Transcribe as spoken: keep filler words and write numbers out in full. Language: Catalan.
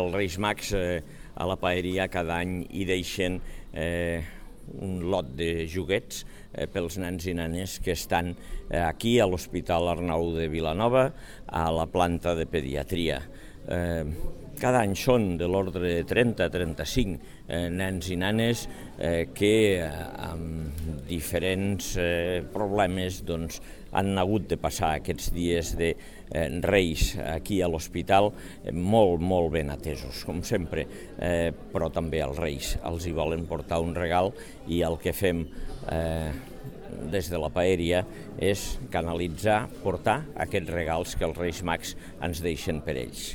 els Reis Mags eh, a la paeria cada any hi deixen eh, un lot de joguets eh, pels nens i nenes que estan eh, aquí a l'Hospital Arnau de Vilanova, a la planta de pediatria. Eh, cada any són de l'ordre de trenta a trenta-cinc eh, nens i nenes eh, que eh, amb diferents eh, problemes doncs, han hagut de passar aquests dies de eh, Reis aquí a l'hospital eh, molt, molt ben atesos, com sempre, eh, però també els Reis els hi volen portar un regal i el que fem eh, des de la paeria és canalitzar, portar aquests regals que els Reis Mags ens deixen per ells.